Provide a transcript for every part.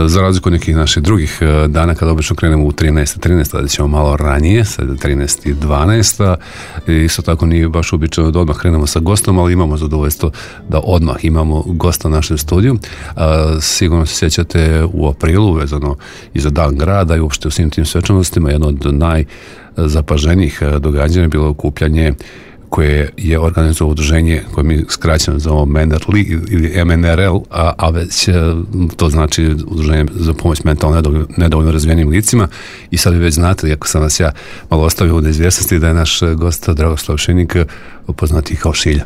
Za razliku od nekih naših drugih dana kada obično krenemo u 13, da ćemo malo ranije, sad 13:12. Isto tako nije baš uobičajeno da odmah krenemo sa gostom, ali imamo zadovoljstvo da odmah imamo gosta u našem studiju. Sigurno se sjećate u aprilu, vezano i za Dan grada i uopšte u svim tim svečanostima, jedno od najzapaženijih događanja je bilo okupljanje koje je organizovalo udruženje koje mi skraćeno zovemo MNRL ili MNRL, a već to znači udruženje za pomoć mentalno nedovoljno razvijenim licima. I sad vi već znate, iako sam vas ja malo ostavio u neizvjesnosti, da je naš gost Dragoslav Šinik, poznati kao Šilja.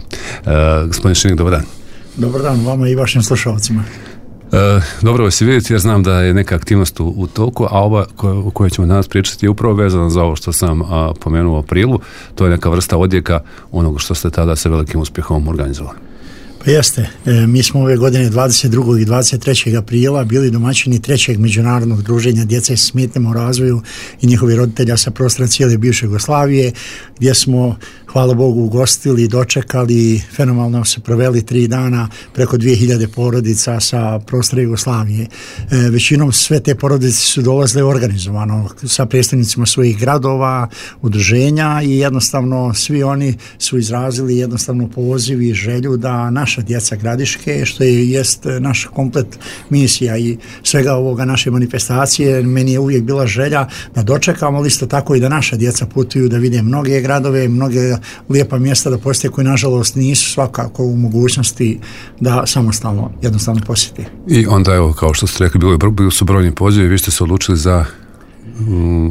Gospodin Šinik, dobar dan. Dobar dan vama i vašim slušalcima. Dobro vas je vidjeti, jer znam da je neka aktivnost u toku, a ova o kojoj ćemo danas pričati je upravo vezana za ovo što sam pomenuo u aprilu. To je neka vrsta odjeka onoga što ste tada sa velikim uspjehom organizovali. Pa jeste, mi smo ove godine 22. i 23. aprila bili domaćini 3. međunarodnog druženja djece s smetnjama u razvoju i njihovi roditelja sa prostora cijele bivše Jugoslavije, gdje smo, hvala Bogu, ugostili, dočekali, fenomenalno se proveli 3 dana, preko 2000 porodica sa prostora Jugoslavije. Većinom sve te porodice su dolazile organizovano sa predstavnicima svojih gradova, udruženja i jednostavno svi oni su izrazili jednostavno poziv i želju da naša djeca Gradiške, što jest naša komplet misija i svega ovoga naše manifestacije, meni je uvijek bila želja da dočekamo, ali isto tako i da naša djeca putuju, da vide mnoge gradove, mnoge lijepa mjesta da posjete koji nažalost nisu svakako u mogućnosti da samostalno jednostavno posjeti. I onda evo, kao što ste rekli, bili su brojni pozivi, vi ste se odlučili za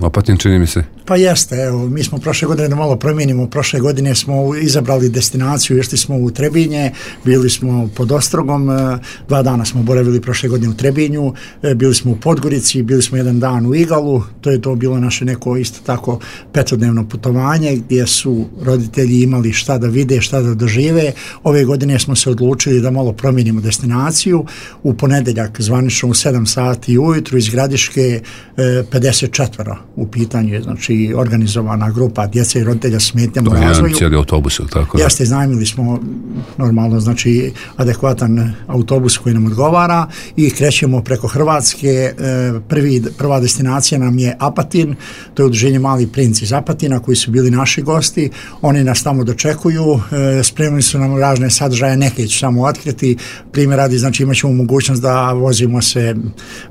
Apatin, čini mi se. Pa jeste, evo, mi smo prošle godine da malo promijenimo, prošle godine smo izabrali destinaciju, išli smo u Trebinje, bili smo pod Ostrogom, 2 dana smo boravili prošle godine u Trebinju, bili smo u Podgorici, bili smo 1 dan u Igalu, to je to bilo naše neko isto tako 5-dnevno putovanje gdje su roditelji imali šta da vide, šta da dožive. Ove godine smo se odlučili da malo promijenimo destinaciju, u ponedjeljak zvanično u 7 sati ujutru iz Gradiške 54 u pitanju je, znači organizovana grupa djece i roditelja s smetnjama u razvoju. Jedan cijeli autobus, tako da? Jeste, iznajmili smo normalno, znači adekvatan autobus koji nam odgovara i krećemo preko Hrvatske. Prva destinacija nam je Apatin, to je udruženje Mali princ iz Apatina koji su bili naši gosti. Oni nas tamo dočekuju, spremili su nam razne sadržaje, neke ću samo otkriti. Primjer radi, znači imat ćemo mogućnost da vozimo se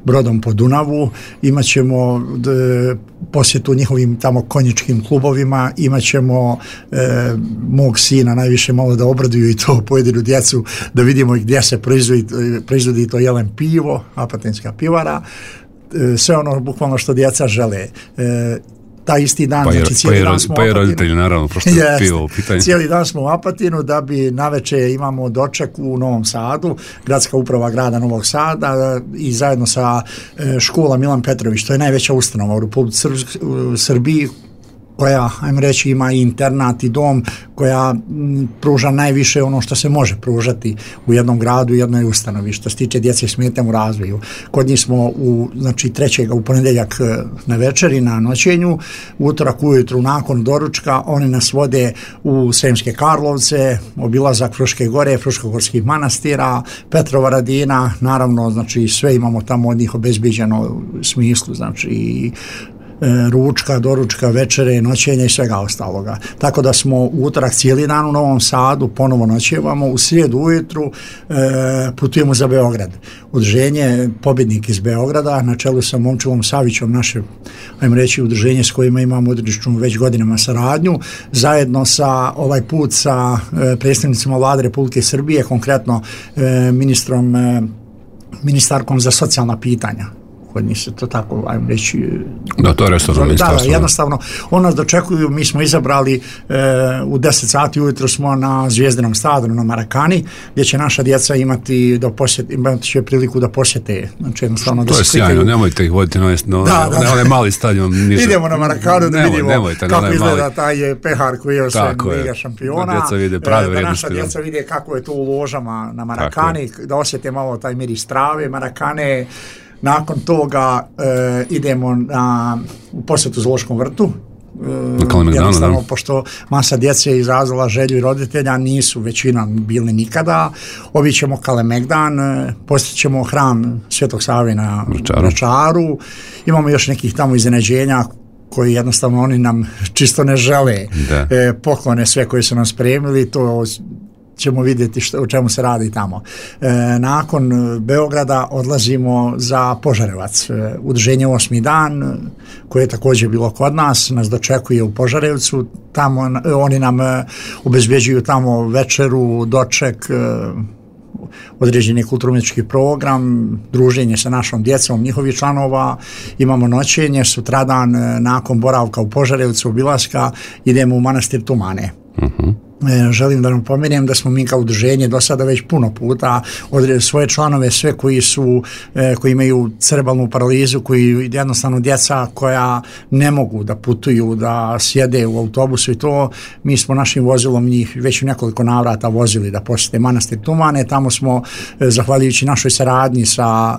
brodom po Dunavu, imat ćemo posjetu njihovim tamo konjičkim klubovima, imat ćemo mog sina najviše malo da obraduju i to pojedinu djecu, da vidimo gdje se proizvodi to jelen pivo, apatinska pivara, sve ono bukvalno što djeca žele. Taj isti dan, znači cijeli dan smo u Apatinu. roditelji, naravno, pošto je pivo u pitanju. Cijeli dan smo u Apatinu, da bi naveče imamo doček u Novom Sadu, gradska uprava grada Novog Sada i zajedno sa škola Milan Petrović, to je najveća ustanova u Republici Srbiji, koja, ajmo reći, ima i internat i dom, koja pruža najviše ono što se može pružati u jednom gradu, u jednoj ustanovi, što se tiče djece s smetnjama u razvoju. Kod njih smo znači 3. u ponedjeljak na večeri, na noćenju, utorak ujutru nakon doručka, oni nas vode u Sremske Karlovce, obilazak Fruške gore, Fruškogorskih manastira, Petrova Radina, naravno, znači sve imamo tamo od njih obezbiđeno u smislu, znači ručka, doručka, večere, noćenja i svega ostaloga. Tako da smo u utorak cijeli dan u Novom Sadu, ponovo noćevamo, u srijedu ujutru putujemo za Beograd. Udruženje Pobjednik iz Beograda, na čelu sa Momčilom Savićom, naše, ajmo reći, udruženje s kojima imamo odličnu već godinama saradnju, zajedno sa ovaj put sa predstavnicima Vlade Republike Srbije, konkretno ministarkom za socijalna pitanja. Kod njih se to tako, ajmo reći... Da, to je resorno ministarstvo. Da, jednostavno, on nas dočekuju, mi smo izabrali u 10 sati ujutro smo na Zvijezdinom stadionu na Marakani, gdje će naša djeca imati će priliku da posjete. Znači, jednostavno, to je sjajno, nemojte ih voditi na onaj mali stadion. Idemo na Marakanu da vidimo kako izgleda taj pehar koji je sve Liga šampiona. Da djeca vide prave vrijednosti. Da naša djeca vide kako je to u ložama na Marakani, da osjete malo taj miris trave, Marakane. Nakon toga idemo u posjetu zoološkom vrtu, jednostavno, pošto masa djece je izrazila želju i roditelja, nisu većina bili nikada. Obićemo Kalemegdan, posjećemo hram Svetog Save na Vračaru, imamo još nekih tamo iznenađenja koji jednostavno oni nam čisto ne žele, poklone sve koje su nam spremili, to ćemo vidjeti o čemu se radi tamo. Nakon Beograda odlazimo za Požarevac. Udruženje 8. dan, koje je također bilo kod nas dočekuje u Požarevcu. Tamo oni nam obezbeđuju tamo večeru, doček, određeni kulturno-umjetnički program, druženje sa našom djecom, njihovih članova, imamo noćenje, sutradan nakon boravka u Požarevcu, obilaska, idemo u manastir Tumane. Želim da nam pomenem da smo mi kao udruženje do sada već puno puta svoje članove, sve koji imaju cerebralnu paralizu, koji jednostavno djeca koja ne mogu da putuju, da sjede u autobusu i to, mi smo našim vozilom njih već u nekoliko navrata vozili da posjete manastir Tumane. Tamo smo, zahvaljujući našoj saradnji sa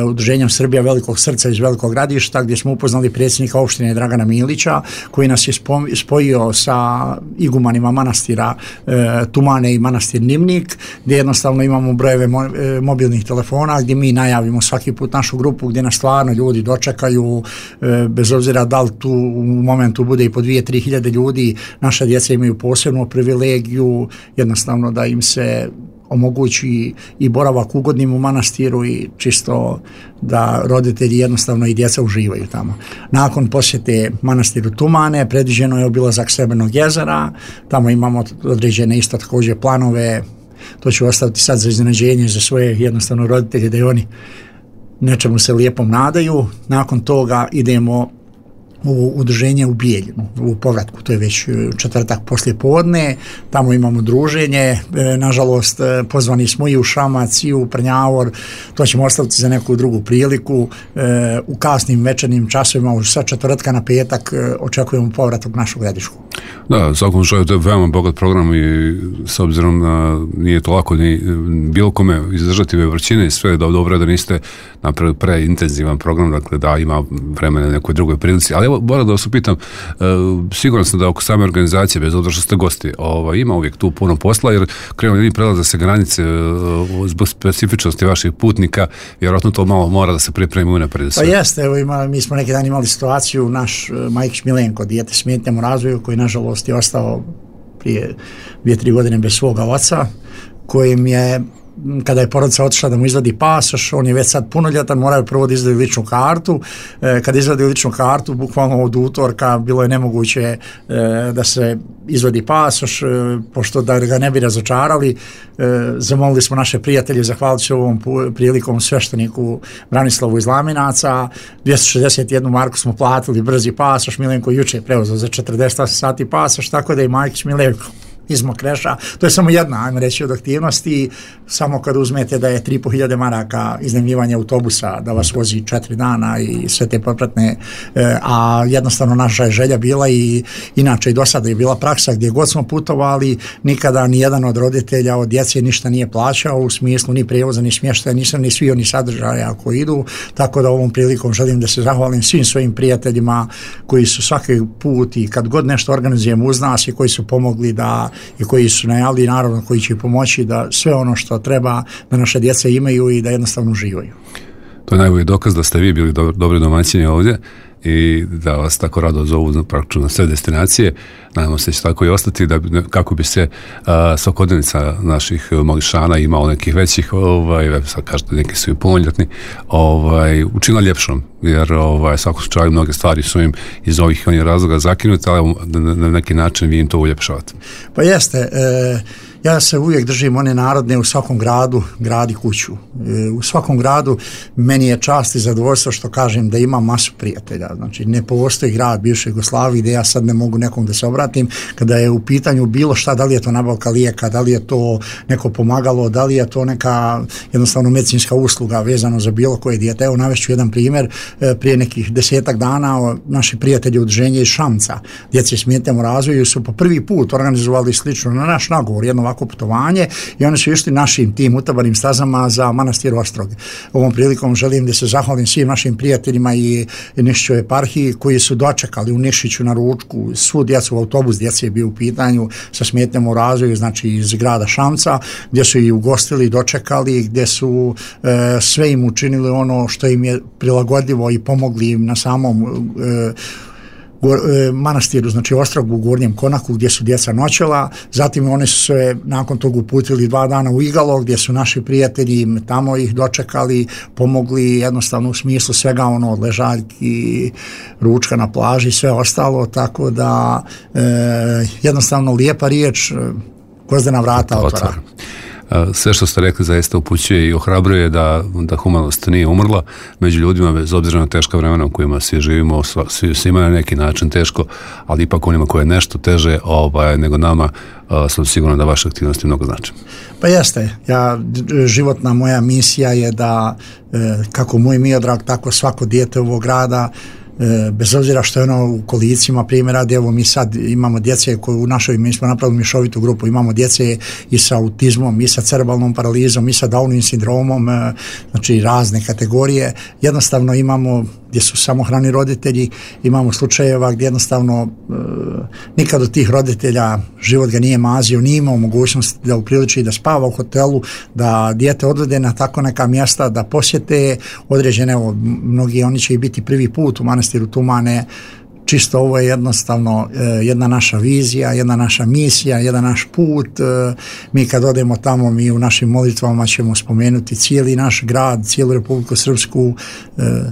udruženjem Srbija Velikog srca iz Velikog Gradišta, gdje smo upoznali predsjednika opštine Dragana Milića, koji nas je spojio sa igumanima manastira Tumane i manastir Nimnik, gdje jednostavno imamo brojeve mobilnih telefona gdje mi najavimo svaki put našu grupu, gdje nas stvarno ljudi dočekaju, bez obzira da li tu u momentu bude i po 2-3 hiljade ljudi. Naša djeca imaju posebnu privilegiju jednostavno da im se omogući i boravak ugodnim u manastiru i čisto da roditelji jednostavno i djeca uživaju tamo. Nakon posjete manastiru Tumane predviđeno je obilazak Srebrnog jezera, tamo imamo određene isto također planove, to ću ostaviti sad za iznenađenje za svoje jednostavno roditelje, da i oni nečemu se lijepom nadaju. Nakon toga idemo u udruženje u Bijeljinu, u povratku, to je već četvrtak poslije podne, tamo imamo druženje, nažalost pozvani smo i u Šamac i u Prnjavor, to ćemo ostaviti za neku drugu priliku. U kasnim večernjim časovima, sa četvrtka na petak, očekujemo povratak našog Gradišku. Da, u svakom slučaju to je veoma bogat program i s obzirom na nije to lako ni bilo kome izdržati ove vrćine i sve, dobro da niste napravili preintenzivan program, dakle da ima vremena na nekoj drugoj prilici, ali evo, moram da vas upitam, siguran sam da oko same organizacije, bez obzira što ste gosti, ima uvijek tu puno posla, jer krenuli prelaze se granice zbog specifičnosti vaših putnika, vjerojatno to malo mora da se pripremi unaprijed. Pa jeste, evo mi smo neki dan imali situaciju, naš Majkić Milenko, dijete s smetnjama u razvoju, koji nažalost je ostao prije 2-3 godine bez svoga oca, kojim je, kada je porodica otišla da mu izvadi pasoš, on je već sad punoljetan, moraju prvo da izvadi ličnu kartu. Kada izvadi ličnu kartu, bukvalno od utorka bilo je nemoguće da se izvadi pasoš, pošto da ga ne bi razočarali. Zamolili smo naše prijatelje, zahvalit ću ovom prilikom svešteniku Branislavu iz Laminaca, 261 marku smo platili, brzi pasoš, Milenko juče preuzeo za 48 sati pasoš, tako da i Majkić Milenko iz Mokreša. To je samo jedna, ajmo reći, od aktivnosti. Samo kad uzmete da je 3.500 maraka iznajmljivanje autobusa da vas vozi 4 dana i sve te popratne, a jednostavno naša je želja bila i inače i do sada je bila praksa gdje god smo putovali, nikada ni jedan od roditelja od djece ništa nije plaćao u smislu ni prijevoza, ni smještaja, ni svi oni sadržaja ako idu, tako da ovom prilikom želim da se zahvalim svim svojim prijateljima koji su svaki put i kad god nešto organizujemo uz nas i koji su pomogli i koji su najavili, naravno koji će pomoći da sve ono što treba da naše djece imaju i da jednostavno uživaju. To je najbolji dokaz da ste vi bili dobri domaćini ovdje i da vas tako rado zovu praktično na sve destinacije. Nadamo se će tako i ostati da kako bi se svakodnevnica naših mališana imao nekih većih, sad kažete neki su i punoljetni, učinila ljepšom, jer svako slučaju mnoge stvari su im iz ovih onih razloga zakinute, ali na neki način vi im to uljepšavate. Pa jeste, ja se uvijek držim one narodne, u svakom gradu gradi kuću. U svakom gradu meni je čast i zadovoljstvo što kažem da imam masu prijatelja. Znači ne postoji grad bivše Jugoslavije gdje ja sad ne mogu nekom da se obratim kada je u pitanju bilo šta, da li je to nabavka lijeka, da li je to neko pomagalo, da li je to neka jednostavno medicinska usluga vezano za bilo koje dijete. Evo navešću jedan primjer, prije nekih 10 dana naši prijatelji udruženja iz Šamca, djece s smetnjama u razvoju, su po prvi put organizovali slično na naš nagovor, jedno ovako jako putovanje i oni su išli našim tim utabanim stazama za manastir Ostrog. Ovom prilikom želim da se zahvalim svim našim prijateljima i Nišićoj eparhiji koji su dočekali u Nišiću na ručku svu djecu, autobus djece je bio u pitanju sa smetnjama u razvoju, znači iz grada Šamca, gdje su i ugostili, dočekali, gdje su sve im učinili ono što im je prilagodljivo i pomogli im na samom manastiru, znači Ostrog u Gornjem Konaku gdje su djeca noćela, zatim oni su se nakon toga uputili 2 dana u Igalo gdje su naši prijatelji tamo ih dočekali, pomogli jednostavno u smislu svega ono od ležaljki, ručka na plaži i sve ostalo, tako da jednostavno lijepa riječ Gvozdena vrata otvara. Sve što ste rekli zaista upućuje i ohrabruje da humanost nije umrla među ljudima, bez obzira na teška vremena u kojima svi živimo, svima na neki način teško, ali ipak onima koje je nešto teže nego nama, sam siguran da vaše aktivnosti mnogo znači. Pa jeste, životna moja misija je da kako moj Miodrag, tako svako dijete ovog grada, bez obzira što je ono u kolicima, primjer radi, evo mi sad imamo djece koje mi smo napravili mješovitu grupu, imamo djece i sa autizmom, i sa cerebralnom paralizom, i sa Downovim sindromom, znači razne kategorije, jednostavno imamo gdje su samohrani roditelji, imamo slučajeva gdje jednostavno nikad od tih roditelja život ga nije mazio, nije imao mogućnost da upriliči da spava u hotelu, da dijete odvede na tako neka mjesta, da posjete određene, mnogi oni će i biti prvi put u manastiru Tumane. Čisto ovo je jednostavno jedna naša vizija, jedna naša misija, jedan naš put. Mi kad odemo tamo, mi u našim molitvama ćemo spomenuti cijeli naš grad, cijelu Republiku Srpsku,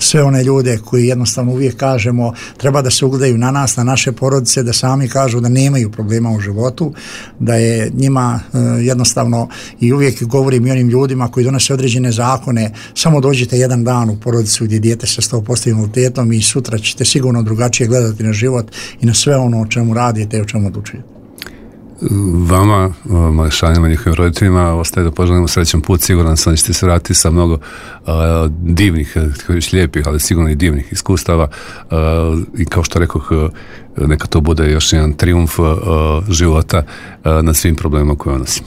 sve one ljude koji jednostavno uvijek kažemo treba da se ugledaju na nas, na naše porodice, da sami kažu da nemaju problema u životu, da je njima jednostavno, i uvijek govorim i onim ljudima koji donose određene zakone, samo dođite jedan dan u porodicu gdje dijete sa 100% invaliditetom i sutra ćete sigurno drugačije gledati na život i na sve ono o čemu radite i o čemu odlučujete. Vama, mališanima, njihovim roditeljima, ostaje da poželimo srećan put, siguran sam da ćete se vratiti sa mnogo divnih, lijepih, ali sigurno i divnih iskustava i kao što rekoh, neka to bude još jedan trijumf života nad svim problemima koje nosim.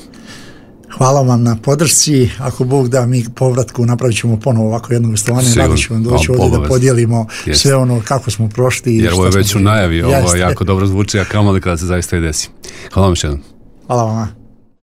Hvala vam na podršci, ako Bog da mi povratku napravit ćemo ponovo ovako jedno gostovanje, rado ćemo doći ovdje da podijelimo sve ono kako smo prošli. Jer ovo je već u najavi, ovo jako dobro zvuči, a kamoli kada se zaista i desi. Hvala vam još jednom. Hvala vam.